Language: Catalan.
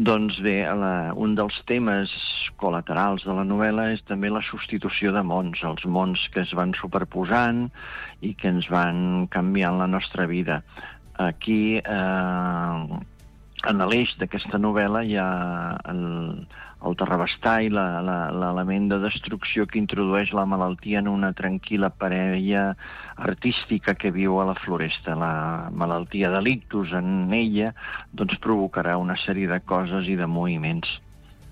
Doncs bé, un dels temes col·laterals de la novel·la és també la substitució de mons, els mons que es van superposant i que ens van canviant la nostra vida. Aquí, en l'eix d'aquesta novel·la, hi ha el terrabastar i l'element de destrucció que introdueix la malaltia en una tranquil·la parella artística que viu a la floresta. La malaltia de l'ictus en ella doncs provocarà una sèrie de coses i de moviments.